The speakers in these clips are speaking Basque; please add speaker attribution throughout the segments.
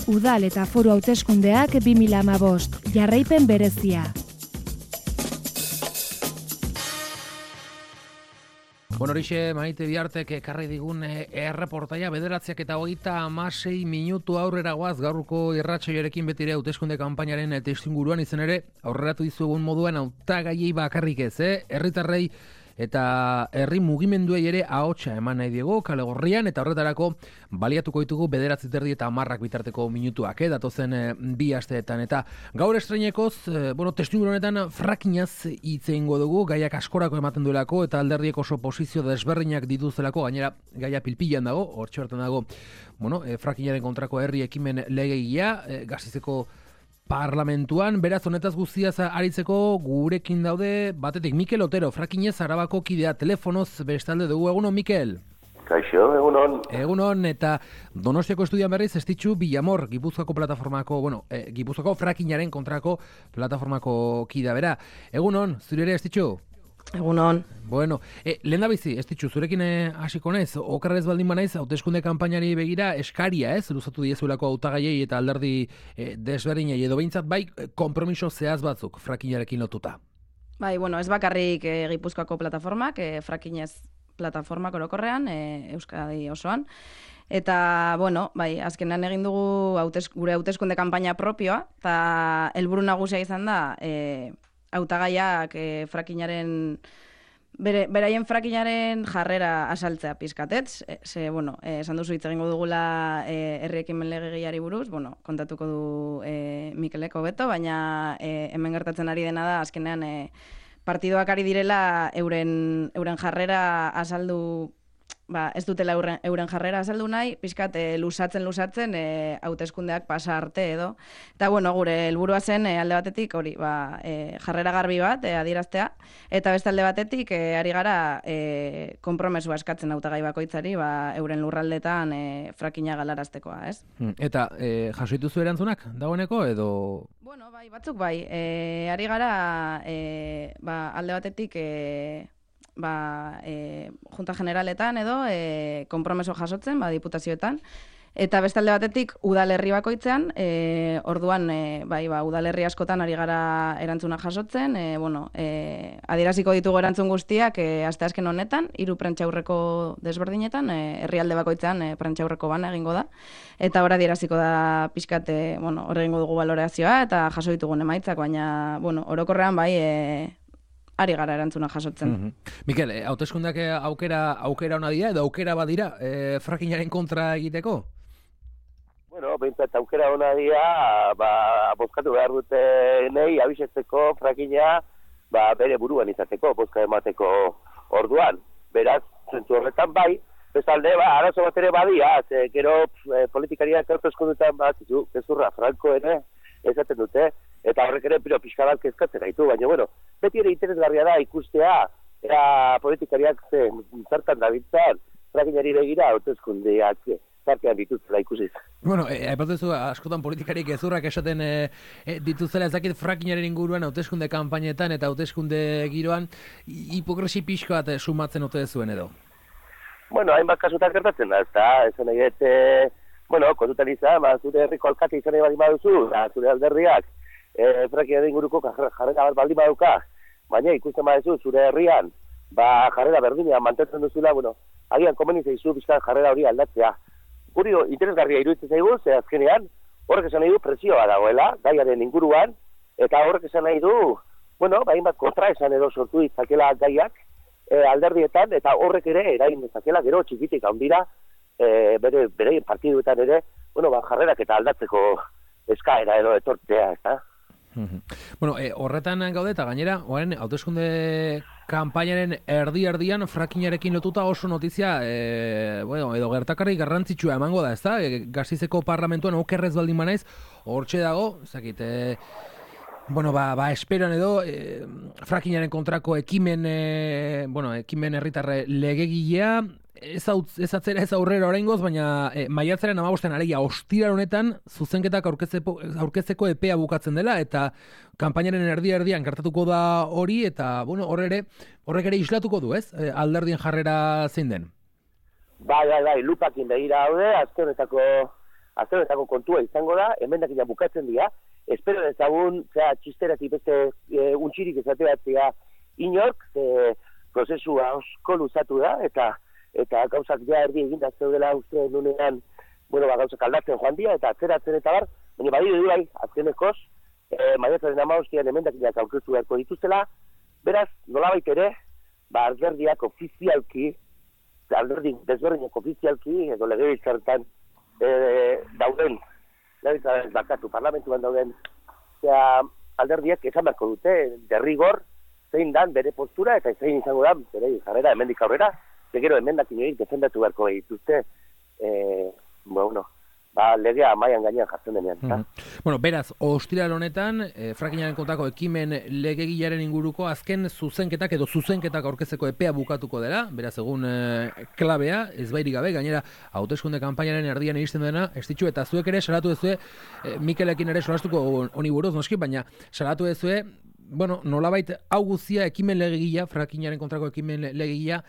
Speaker 1: Udal eta foru hauteskundeak 2015, jarraipen berezia.
Speaker 2: Bueno, horixe Maite Biartek ekarri digun erreportaia 9:26 minutu aurrera goaz gaurko irratsaioarekin betire hauteskunde kanpainaren testuinguruan izen ere aurreratu dizuegun moduan hautagaiei bakarrik ez, herritarrei eta herri mugimenduei ere ahotsa eman nahi diegu kale gorrian eta horretarako baliatuko ditugu 9:30 eta 10 bitarteko minutuak, datozen 2 asteetan eta gaur estreinekoz, testuinguru honetan frackingaz hitz egingo dugu, gaiak askorako ematen duelako eta alderdiek oso posizio desberdinak dituzelako, gainera gaia pilpilan dago, hortxe hortan dago, frackingaren kontrako herri ekimen legegia, Gasteizeko Parlamentuan, beraz honetaz guztiaz aritzeko gurekin daude, batetik Mikel Otero, frackingez Arabako kidea, telefonoz bestalde dugu, egunon Mikel?
Speaker 3: Kaixo, egunon.
Speaker 2: Egunon, eta Donostiako estudian berriz Estitxu Villamor, Gipuzkoako plataformako, Gipuzkoako frackingaren kontrako plataformako kidea, bera. Egunon, zure ere Estitxu?
Speaker 4: Egunon.
Speaker 2: Bueno, lehen da bizi, Estitxu, zurekin hasiko naiz, okerrez baldin banaiz, hauteskunde kanpainari begira eskaria, luzatu diezuelako hautagaiei eta alderdi desberdinei edo behintzat bai konpromiso zehaz batzuk frackingarekin lotuta.
Speaker 4: Bai, ez bakarrik Gipuzkoako plataformak, frackingez plataformak orokorrean, Euskadi osoan. Eta, azkenan egin dugu gure hauteskunde kanpaina propioa, eta helburu nagusia izan da, hautagaiak beraien frackingaren jarrera asaltzea pizkatetz. Esan duzu hitz egingo dugula herri ekimen legegiari buruz, kontatuko du Mikelek hobeto, baina hemen gertatzen ari dena da, azkenean partidoak ari direla euren jarrera azaldu, ez dutela euren jarrera azaldu nahi, pixkat lusatzen hauteskundeak pasa arte edo. Eta gure helburua zen alde batetik hori, jarrera garbi bat adieraztea, eta beste alde batetik ari gara konpromesua eskatzen hautagai bakoitzari euren lurraldetan frackinga galaraztekoa, ez?
Speaker 2: Eta jaso dituzu erantzunak dagoeneko edo?
Speaker 4: Batzuk bai. Ari gara alde batetik Junta Generaletan edo konpromeso jasotzen, diputazioetan, eta beste alde batetik udalerri bakoitzean, orduan udalerri askotan ari gara erantzuna jasotzen, adieraziko ditugu erantzun guztiak asteazken honetan, 3 prentsaurreko desberdinetan, herrialde bakoitzean prentsaurreko bana egingo da, eta hor adieraziko da pixkat, hor egingo dugu balorazioa eta jaso ditugun emaitzak, baina orokorrean ari gara erantzuna jasotzen.
Speaker 2: Mikel, hauteskundeak aukera ona dira edo aukera badira frackingaren kontra egiteko?
Speaker 3: Behintzat aukera ona dira, bozkatu behar dute nahi abisetzeko frackinga bere buruan izateko, bozka emateko orduan. Beraz, zentzu horretan bai, bestalde, arazo bat ere badia, gero politikariak hauteskundetan gezurra franko ere esaten dute, eta horrek ere pixkadak kezkatzen gaitu, baina beti ere interesgarria da ikustea, politikariak zertan dabiltzan, frackingari begira hauteskundeak zartean dituzela ikusiz.
Speaker 2: Aipatuzu askotan politikariak gezurrak esaten dituzela, ez dakit frackingaren inguruan hauteskunde kanpainetan eta hauteskunde giroan hipokresi pixko bat sumatzen ote zuen edo?
Speaker 3: Hainbat kasutan gertatzen da, esan nahi kontutan izan, zure herriko alkate izan nahi baldin baduzu, zure alderriak frackingaren inguruko jarrera bat baldin baduka, baina ikusten baduzu zure herrian jarrera berdinean mantentzen duzula, agian komeni zaizu bizkan jarrera hori aldatzea. Guri interesgarria iruditzen zaigu, azkenean horrek esan nahi du presioa dagoela, gaiaren inguruan, eta horrek esan nahi du, hainbat kontra esan edo sortu ditzakela gaiak alderdietan, eta horrek ere erain dezakela gero txikitik handira, bere partiduetan ere, jarrerak eta aldatzeko eskaera edo etortzea, ez da?
Speaker 2: Horretan gaude eta gainera, hauteskunde kanpainaren erdi-erdian frackingarekin lotuta oso notizia, edo gertakarri garrantzitsua emango da, ez da? Gasteizeko Parlamentuan okerrez baldin banaiz, hortxe dago, ezakit, esperoan edo, frackingaren kontrako ekimen herritarre legegilea, ez atzera ez aurrera oraingoz, baina maiatzaren 15 alegia ostiral honetan zuzenketak aurkezteko epea bukatzen dela eta kanpainaren erdi-erdian gertatuko da hori eta horrek ere islatuko du, ez? Alderdien jarrera zein den?
Speaker 3: Bai, lupakin begira daude, azte honetako azkenetako kontua izango da, emendakina bukatzen dira, espero dezagun, txisteratik beste untxirik ezateatzea inork, prozesua osko luzatu da, eta gauzak ja erdi eginda zeudela uste nunean, gauzak aldatzen joan dira, eta atzeratzen eta bar, baina badiru bai, azkenekoz, maiatzaren 15 emendakinak aurkeztu beharko dituztela, beraz, nolabait ere, alderdiak ofizialki, alderdi desberdinak ofizialki, edo legebiltzarretan dauden, legebiltzarretan bakatu, parlamentuan dauden, alderdiak esan beharko dute, derrigor, zein dan bere postura, eta zein izango da, bere jarrera, hemendik aurrera, gero emendakin horiek defendatu beharko dituzte, legea amaian gainean jartzen denean.
Speaker 2: Beraz, ostiral honetan, frackingaren kontako ekimen legegilaren inguruko azken zuzenketak edo zuzenketak aurkezeko epea bukatuko dela, beraz egun klabea, ez bairik gabe, gainera hauteskunde kanpainaren erdian iristen dena, ez ditu, eta zuek ere salatu dezue, Mikelekin ere solastuko honi buruz noski, baina salatu dezue, nolabait hau guztia ekimen legegila, frackingaren kontrako ekimen legegila,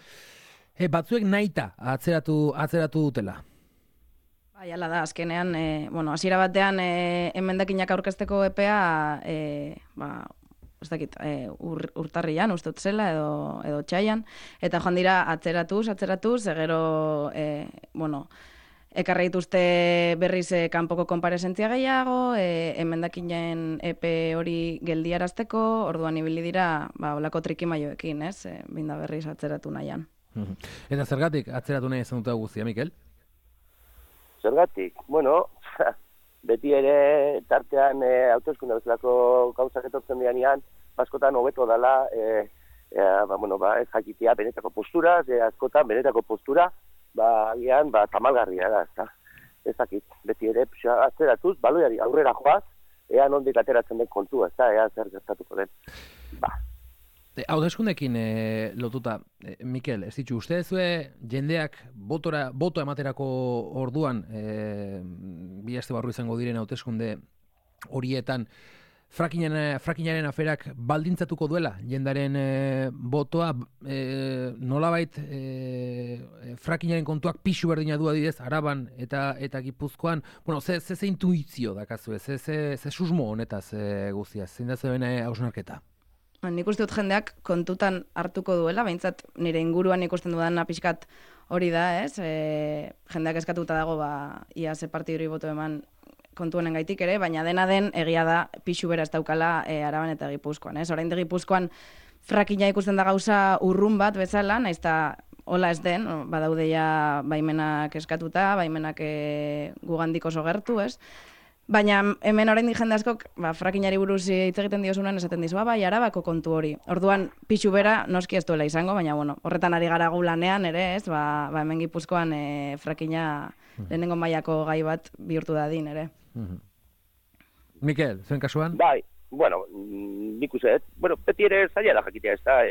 Speaker 2: batzuek nahita atzeratu dutela.
Speaker 4: Hala da, azkenean, hasiera batean emendakinak aurkezteko epea, ez dakit, urtarrian, uste zela, edo txaian, eta joan dira atzeratuz, gero, ekarri dituzte berriz kanpoko konparesentzia gehiago, emendakinen epe hori geldiarazteko, orduan ibili dira, olako trikimaioekin, ez, binda berriz atzeratu nahian.
Speaker 2: Eta zergatik atzeratu nahi izan dute guztia, Mikel?
Speaker 3: Zergatik, beti ere tartean hauteskunde bezalako gauzak etortzen dianean, askotan hobeto dela, ez jakitea benetako postura, askotan benetako postura, agian tamalgarria da, ez dakit, beti ere atzeratuz, baloiari aurrera joaz, ea nondik ateratzen den kontua, ea zer gertatuko den.
Speaker 2: Hauteskundekin lotuta, Mikel, ez ditu, uste dezue jendeak boto ematerako orduan, bi aste barru izango diren hauteskunde horietan, frackingaren aferak baldintzatuko duela jendaren botoa, nolabait frackingaren kontuak pixu berdina du adidez, Araban eta Gipuzkoan, ze intuizio dakazue, ze susmo honetaz guztiaz, zein da zuen hausnarketa?
Speaker 4: Nik uste dut jendeak kontutan hartuko duela, behintzat nire inguruan ikusten dudan pixkat hori da, ez? Jendeak eskatuta dago, ia ze partiduri boto eman kontu honen gaitik ere, baina dena den egia da pixu bera ez daukala Araban eta Gipuzkoan, ez? Orain de Gipuzkoan frackinga ikusten da gauza urrun bat bezala, naiz eta hola ez den, badaude ja baimenak eskatuta, baimenak gugandik oso gertu, ez? Baina hemen oraindik jende askok frackingari buruz hitz egiten diozunan esaten dizu, Arabako kontu hori. Orduan pixu bera noski ez duela izango, baina horretan ari gara gu lanean ere, ez? Hemen Gipuzkoan frackinga lehenengo mailako gai bat bihurtu dadin ere.
Speaker 2: Mikel, zuen kasuan?
Speaker 3: Bai, nik uste, beti ere zaila da jakitea, ez da,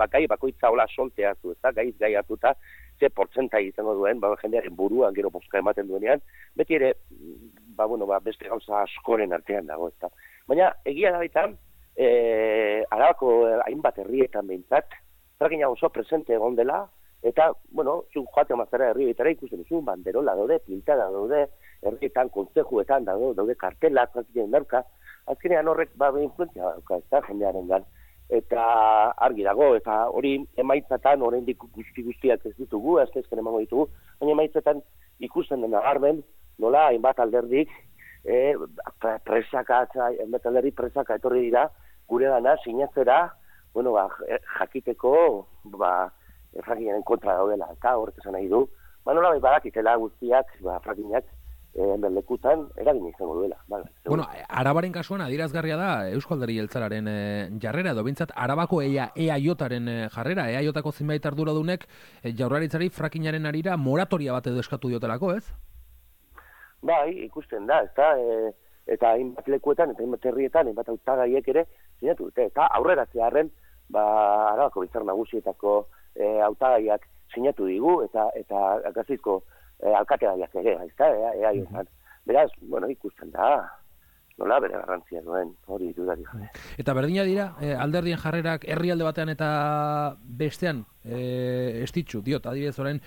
Speaker 3: gai bakoitza hola soltea hartu, ez da, gai hartuta, ze portzentai izango duen, jendearen buruan gero bozka ematen duenean, beti ere, beste gauza askoren artean dago, ez da. Baina, egia da baita, Arabako hainbat herrietan behintzat, frackinga oso presente egon dela, eta, zuk joate amazara herri betara ikusten duzu, banderola daude, pintada daude, herrietan, kontzejuetan daude kartelak, frackingen darka, azkenean horrek influentzia dauka, ez da, jendearen gan. Eta argi dago, eta hori emaitzatan, oraindik guztiak ez ditugu, azkezken emango ditugu, baina emaitzetan ikusten dena garben, nola hainbat alderdik, presaka etorri dira, gure dana sinatzera, jakiteko, frackingaren kontra daudela, eta horrek esan nahi du, nola badakitela guztiak, frackingak, lekutan eragin izango duela.
Speaker 2: Arabaren kasuan adierazgarria da Eusko Alderdi Jeltzalearen jarrera, edo bintzat Arabako EAJaren jarrera, EAJako zenbait arduradunek Jaurlaritzari frackingaren arira moratoria bat edo eskatu diotelako, ez?
Speaker 3: Bai, ikusten da, eta hainbat lekuetan, eta hainbat herrietan, hainbat hautagaiek ere sinatu dute, eta aurreratzearren Arabako Biltzar Nagusietako hautagaiak sinatu digu, eta Gasteizko alkategaiak ere, ezta, EAJan. Beraz, ikusten da, nola bere garrantzia duen, hori dudarik gabe.
Speaker 2: Eta berdina dira, alderdien jarrerak herrialde batean eta bestean, estitxu, diot, adibidez orain,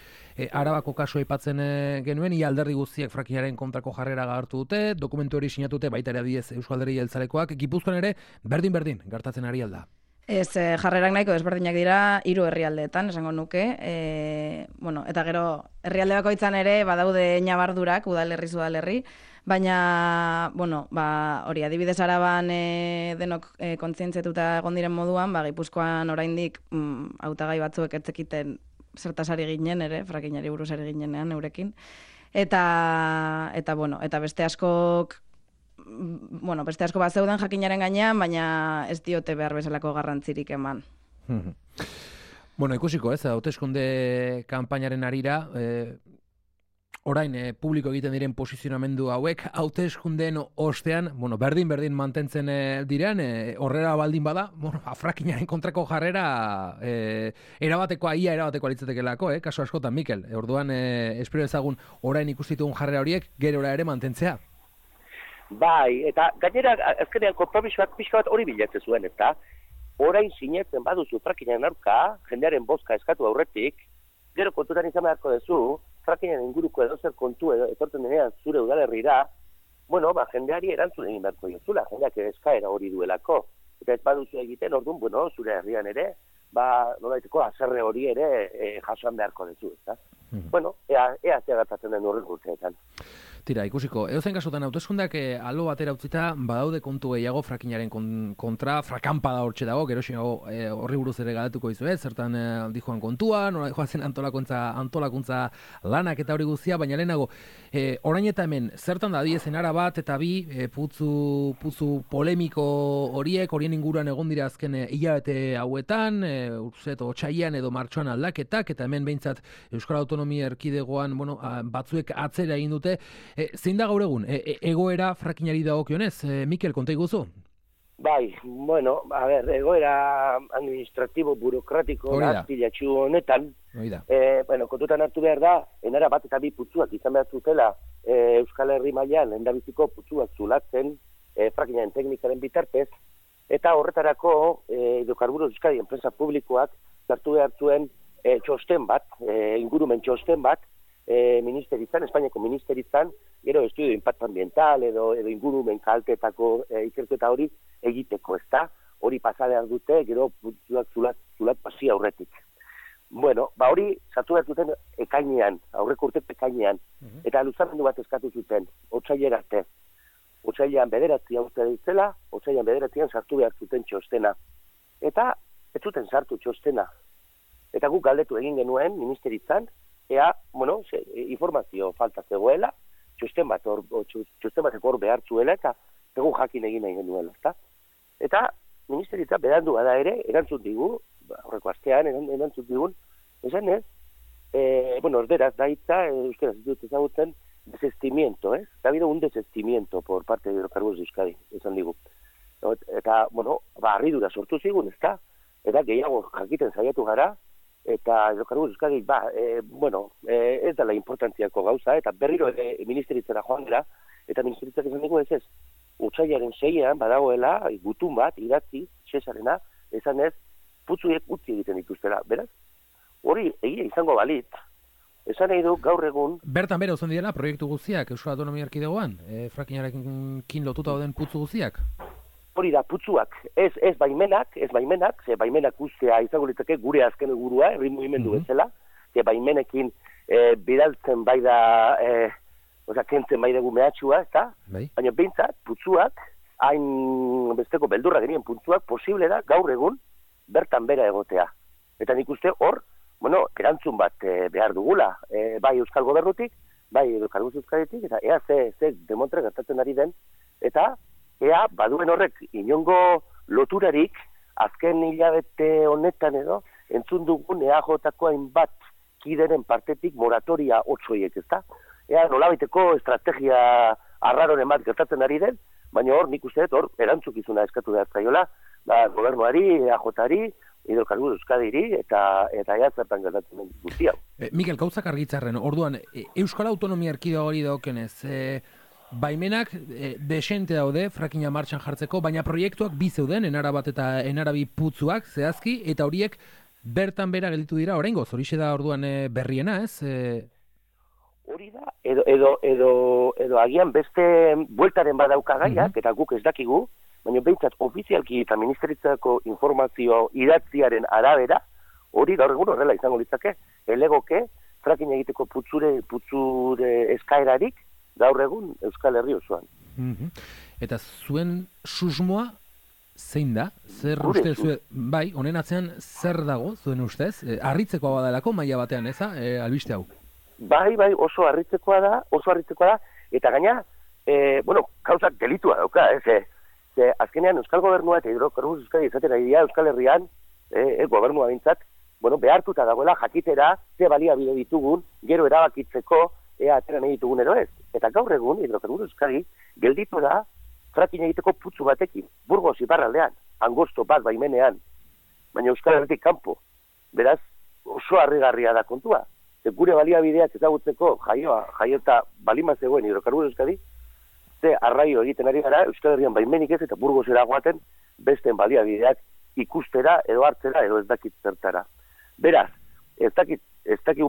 Speaker 2: Arabako kasua aipatzen genuen, ia alderdi guztiek frackingaren kontrako jarrera hartu dute, dokumentu hori sinatute baita ere adibidez Eusko Alderdi Jeltzalekoak, Gipuzkoan ere berdin gertatzen ari alda.
Speaker 4: Ez, jarrerak nahiko desberdinak dira 3 herrialdeetan, esango nuke. Eta gero, herrialde bakoitzan ere badaude ñabardurak, udalerri, baina, hori, adibidez Araban denok kontzientziatuta egon diren moduan, Gipuzkoan oraindik hautagai batzuek ez zekiten zertaz ari ginen ere, frackingari buruz ari ginenean eurekin. Eta beste askok beste asko bat zeuden jakinaren gainean, baina ez diote behar bezalako garrantzirik eman.
Speaker 2: Ikusiko, hauteskunde kanpainaren arira, orain publiko egiten diren posizionamendu hauek, hauteskundeen ostean, berdin mantentzen diren, horrela baldin bada, frackingaren kontrako jarrera erabatekoa litzatekelako, kaso askotan, Mikel. Orduan, espero ezagun orain ikustitugun jarrera horiek, gerora ere mantentzea.
Speaker 3: Bai, eta gainera, azkenean konpromisoak pixka bat hori bilatzen zuen, eta orain sinetzen baduzu frackingaren aurka, jendearen bozka eskatu aurretik, gero kontutan izan beharko duzu, frackingaren inguruko edozer kontu etortzen denean zure udalerrira, jendeari erantzun egin beharko jozula, jendeak eskaera hori duelako. Eta ez baduzu egiten, orduan, zure herrian ere, nolaiteko haserre hori ere jasoan beharko duzu, ezta? Ea gertatzen den horren urteetan.
Speaker 2: Tira, ikusiko, edozen kasutan hauteskundeak albo batera utzita, badaude kontu gehiago frackingaren kontra, frakanpada hortxe dago, gero horri buruz ere galatuko izuet, zertan dijoan kontua, nola joazen antolakuntza lanak eta hori guztia, baina lehenago, orain eta hemen, zertan da diezen ara bat eta bi, putzu polemiko horien inguruan egon dira azken hilabete hauetan, otsailean edo martxoan aldaketak, eta hemen behintzat Euskal Autonomia Erkidegoan, batzuek atzera egin dute. Zein da gaur egun, egoera frackingari dagokionez, Mikel, konta iguzu?
Speaker 3: Bai, egoera administratibo, burokratiko, azpilatxu honetan, kontutan hartu behar da, enara bat eta bi putzuak izan behar zutela Euskal Herri mailan lehendabiziko putzuak zulatzen frackingaren teknikaren bitartez, eta horretarako Hidrocarburos Euskadi enpresa publikoak hartu behar zuen txosten bat, ingurumen txosten bat, Espainiako ministeritzan, gero estudio impacto ambiental edo ingurumen kaltetako ikerketa hori egiteko, ezta? Hori pasadean dute, gero zulat pasi aurretik. Hori sartu behar zuten ekainean, aurreko urte ekainean, eta luzamendu bat eskatu zuten, otsailera arte. Otsailean 9 urte ditzela, otsailean 9 sartu behar zuten txostena. Eta ez zuten sartu txostena. Eta guk galdetu egin genuen ministeritzan, informazio falta zegoela, txosten batek hor behar zuela, eta egun jakin egin nahi genuela, ezta? Eta ministeritza berandu bada ere, erantzun digu, horreko astean erantzun digun, esan ez, orderaz da hitza, euskaraz dut ezagutzen, desestimiento, ez? Ha habido un desestimiento por parte de Hidrocarburos de Euskadi, esan digu. Eta, harridura sortu zigun, ezta? Eta gehiago jakiten saiatu gara, eta Hidrocarburos Euskadi, ez dela importantziako gauza, eta berriro ere ministeritzara joan dira, eta ministeritzak esan dugu ez, otsailaren 6ean badagoela, gutun bat, idatzi, Cesarena, esan ez, putzuek utzi egiten dituztela, beraz? Hori egia izango balit, esan nahi du gaur egun...
Speaker 2: Bertan bera uzan direla proiektu guztiak, Euskal Autonomia Erkidegoan, frackingarekin lotuta dauden putzu guztiak?
Speaker 3: Hori da, putzuak, ez baimenak, ze baimenak ustea izango litzake gure azken egurua, herri mugimendu bezala, ze baimenekin bidaltzen bai da, kentzen bai dugu mehatxua, ezta? Baina behintzat, putzuak, hain besteko beldurra genien putzuak, posible da gaur egun bertan bera egotea. Eta nik uste hor, erantzun bat behar dugula, bai Euskal Gobernutik, bai Hidrocarburos Euskaditik, eta ea ze demontre gertatzen ari den, eta ea baduen horrek inongo loturarik azken hilabete honetan edo entzun dugun EAJ-ko hainbat kideren partetik moratoria 8 ezta? Ea nolabaiteko estrategia arraroren bat gertatzen ari den, baina hor nik uste dut hor erantzukizuna eskatu behar zaiola, gobernuari, EAJ-ari, Hidrocarburos Euskadiri eta ea zertan gertatzen den guztia.
Speaker 2: Mikel, gauzak argitzarren, orduan, Euskal Autonomia Erkidegoari dagokenez, baimenak desente daude frackinga martxan jartzeko, baina proiektuak bi zeuden, enara bat eta enara bi putzuak zehazki, eta horiek bertan bera gelditu dira oraingoz, horixe da orduan berriena, ez?
Speaker 3: Hori da, edo agian beste bueltaren badauka gaiak, eta guk ez dakigu, baina behintzat ofizialki eta ministeritzako informazio idatziaren arabera, hori gaur egun horrela izango litzake, elegoke, fracking egiteko putzure eskaerarik, gaur egun Euskal Herri osoan.
Speaker 2: Eta zuen susmoa zein da? Zer uste zuen, bai, honen atzean zer dago zuen ustez? Harritzekoa badalako maila batean, eza, albiste hau?
Speaker 3: Bai, oso harritzekoa da, eta gaina, gauzak delitua dauka, ze azkenean Euskal Gobernua eta Hidrocarburos Euskadi izatera dira Euskal Herrian, gobernua bintzat, behartuta dagoela jakitera, ze baliabide ditugun, gero erabakitzeko, ea atera nahi ditugun ero ez. Eta gaur egun, Hidrocarburos Euskadi, gelditu da, fracking egiteko putzu batekin, Burgos iparraldean, angosto bat baimenean, baina Euskal Herritik kanpo. Beraz, oso harrigarria da kontua. Ze gure baliabideak ezagutzeko jaiota balima zegoen Hidrocarburos Euskadi, ze arraio egiten ari gara, Euskal Herrian baimenik ez eta Burgos eragoaten besten baliabideak ikustera, edo hartzera, edo ez dakit zertara. Beraz, ez dakit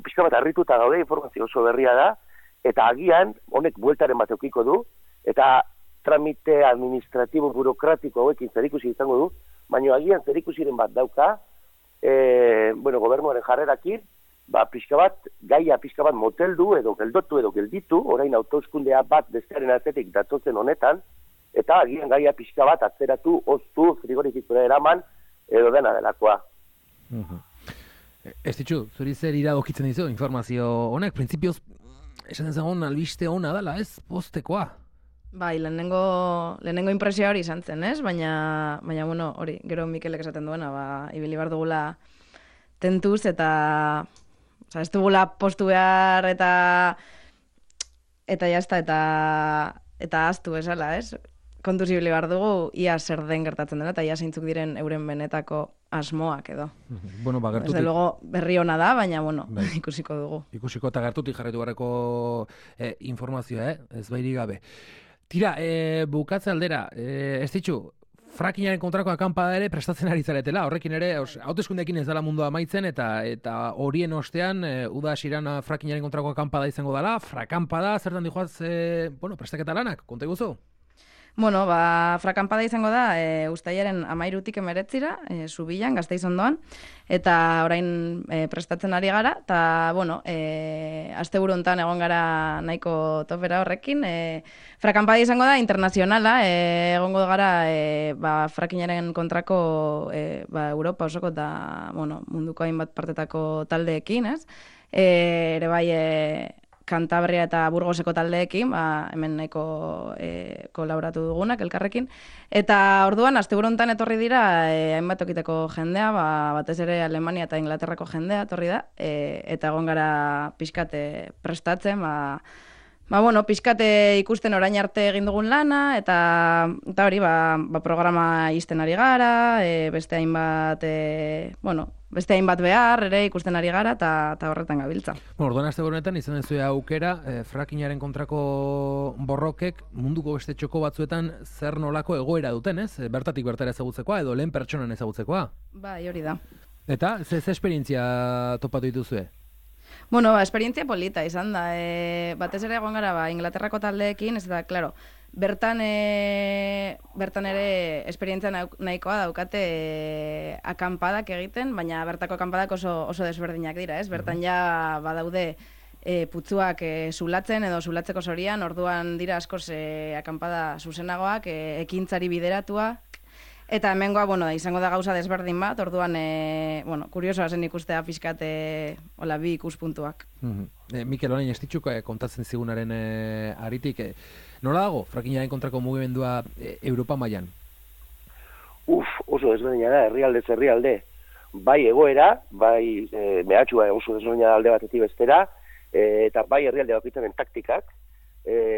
Speaker 3: pixka bat harrituta gaude, informazio oso berria da, eta agian honek bueltaren bat eukiko du, eta tramite administratibo burokratiko hauekin zerikusi izango du, baina agian zerikusiren bat dauka, gobernuaren jarrerakin, gaia pixka bat moteldu, edo geldotu, edo gelditu, orain autoeskundea bat bestearen atzetik datozen honetan, eta agian gaia pixka bat atzeratu, oztu, frigorifikura eraman, edo dena delakoa.
Speaker 2: Ez ditxu, zuri zer iradokitzen dizu informazio honek, printzipioz, esan ezagun albiste hona dela, ez postekoa?
Speaker 4: Bai, lehenengo impresioa hori izan zen, ez? Baina hori, gero Mikelek esaten duena, ibili behar dugula tentuz, eta ez dugula postu behar, eta jazta, eta aztu esala, ez? Kontuz ibili behar dugu, ia zer den gertatzen dena, eta ia zeintzuk diren euren benetako asmoak edo.
Speaker 2: Gertutik...
Speaker 4: Desde luego berri ona da, baina, ikusiko dugu.
Speaker 2: Ikusiko eta gertutik jarretu barreko informazioa, ez bairi gabe. Tira, bukatze aldera, ez ditxu, frackingaren kontrako akampada ere prestatzen ari zaretela, horrekin ere, hauteskundeekin ez dela mundua amaitzen, eta horien ostean, uda hasiran frackingaren kontrako akampada izango dela, frakampada, zertan dijoaz, prestaketa lanak, konta guzu?
Speaker 4: Frakampada izango da, uztailaren 13-tik 19-ra, Zubilan, Gasteiz ondoan, eta orain prestatzen ari gara, eta, asteburu hontan egon gara nahiko topera horrekin. Frakampada izango da, internazionala, egongo gara frackingaren kontrako Europa osoko eta munduko hainbat partetako taldeekin, ez? Ere bai, Kantabria eta Burgoseko taldeekin, hemen nahiko kolaboratu dugunak elkarrekin. Eta orduan, asteburu hontan etorri dira, hainbat tokiteko jendea, batez ere Alemania eta Inglaterrako jendea etorri da, eta egon gara pixkate prestatzen, pixkate ikusten orain arte egin dugun lana, eta hori, programa izten ari gara, beste hainbat behar, ere ikusten ari gara, eta horretan gabiltza.
Speaker 2: Orduan aste honetan izan duzue aukera, frackingaren kontrako borrokek munduko beste txoko batzuetan zer nolako egoera duten, ez? Bertatik bertara ezagutzekoa, edo lehen pertsonan ezagutzekoa?
Speaker 4: Bai, hori da.
Speaker 2: Eta, ze esperientzia topatu dituzue?
Speaker 4: Esperientzia polita izan da. Batez ere egon gara Inglaterrako taldeekin, ez da, klaro, bertan ere esperientzia nahikoa daukate akampadak egiten, baina bertako akampadak oso desberdinak dira, ez? Bertan ja badaude putzuak zulatzen edo zulatzeko zorian, orduan dira askoz akampada zuzenagoak, ekintzari bideratua, eta hemengoa, izango da gauza desberdin bat, orduan, kuriosoa zen ikustea pixkat bi ikuspuntuak.
Speaker 2: Mikel, orain ez ditxuk kontatzen zigunaren aritik, nola dago frackingaren kontrako mugimendua Europa mailan?
Speaker 3: Oso desberdina da, herrialde. Bai egoera, bai mehatxua oso desberdina da alde batetik bestera, eta bai herrialde bakoitzaren taktikak,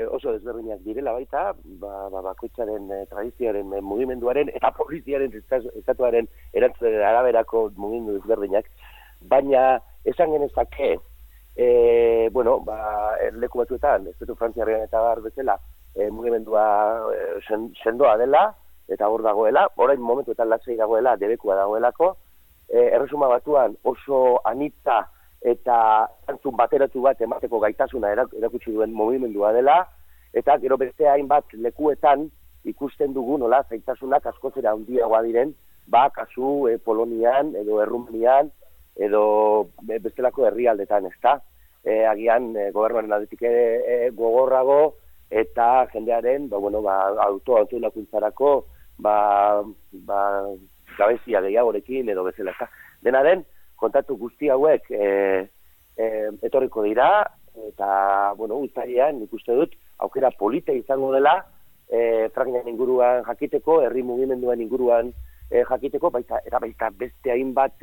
Speaker 3: oso desberdinak direla baita, bakoitzaren tradizioaren mugimenduaren eta poliziaren estatuaren erantzuten araberako mugimendu desberdinak, baina esan genezake, leku batzuetan, estatu frantziarrean eta bar bezala, mugimendua sendoa dela, eta hor dagoela, orain momentuetan lasai dagoela, debekua dagoelako, Erresuma Batuan oso anitza eta antzun bateratu bat emateko gaitasuna erakutsi duen mugimendua dela, eta gero beste hainbat lekuetan ikusten dugu nola zaitasunak askotzera handiagoa diren, kasu Polonian edo Errumanian edo bestelako herrialdetan, ezta? Agian gobernuaren aldetik gogorrago eta jendearen autolakuntzarako gabezia gehiagorekin edo bezala. Dena den, kontatu guzti hauek etorriko dira, eta, uztailean nik uste dut, aukera polita izango dela, frackingaren inguruan jakiteko, herri mugimenduen inguruan jakiteko, baita beste hainbat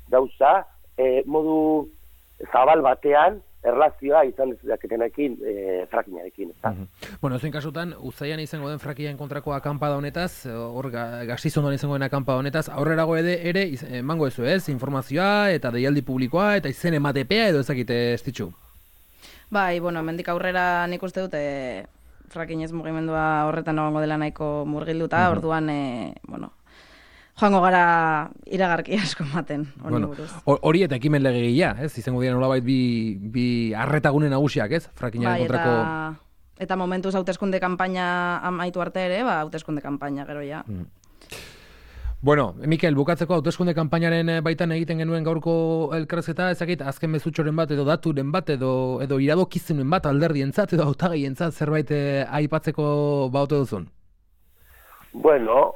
Speaker 3: gauza, modu zabal batean, erlazioa izan dezaketenekin frackingarekin, ezta?
Speaker 2: Bueno, zein kasutan, uztailean izango den frackingaren kontrako akanpada honetaz, hor Gastizondoan izango den akanpada honetaz, aurrerago ere emango ezu, ez? Informazioa eta deialdi publikoa eta izen ematepea edo ezakite estitxu?
Speaker 4: Bai, hemendik aurrera nik uste dut fracking ez mugimendua horretan egongo dela nahiko murgilduta, orduan, joango gara iragarki asko ematen, hori buruz.
Speaker 2: Hori eta ekimen legegilea, ez? Izango dira nolabait bi arretagune nagusiak, ez? Frackingaren kontrako...
Speaker 4: Eta momentuz hauteskunde kanpaina amaitu arte ere, hauteskunde kanpaina gero ja.
Speaker 2: Bueno, Mikel, bukatzeko hauteskunde kanpainaren baitan egiten genuen gaurko elkarrizketa, ezakit azken mezutxoren bat edo daturen bat edo iradokizunen bat alderdientzat edo hautagaientzat zerbait aipatzeko baute duzun?
Speaker 3: Bueno,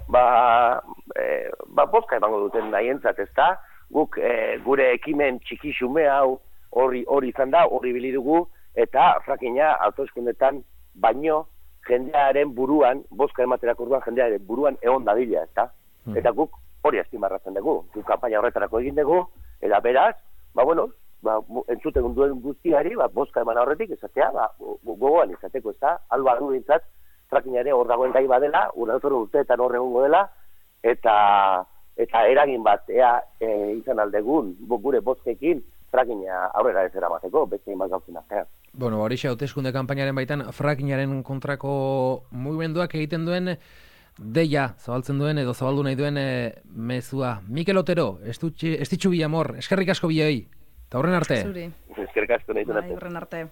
Speaker 3: bozka emango duten nahientzat, ezta? Guk gure ekimen txiki xume hau hori izan da, hori bili dugu, eta frackinga hauteskundetan baino jendearen buruan, bozka ematerako orduan jendearen buruan egon dadila, ezta? Eta guk hori azpimarratzen dugu. Guk kanpaina horretarako egin dugu, eta beraz, entzuten duen guztiari, bozka eman horretik, esatea, gogoan izateko, ezta? Alba du bintzat, frackingare hor dagoen gai badela, urteetan hor egongo dela, eta eragin bat izan aldegun gure bozkekin frackinga aurrera ez eramateko, beste inbat gauzen artean.
Speaker 2: Bueno, horixe hauteskunde kanpainaren baitan frackingaren kontrako mugimenduak egiten duen deia zabaltzen duen edo zabaldu nahi duen mezua. Mikel Otero, estitxu bi amor, eskerrik asko bioi, eta horren arte.
Speaker 4: Zuri.
Speaker 3: Eskerrik asko nahi duen arte.
Speaker 4: Horren arte.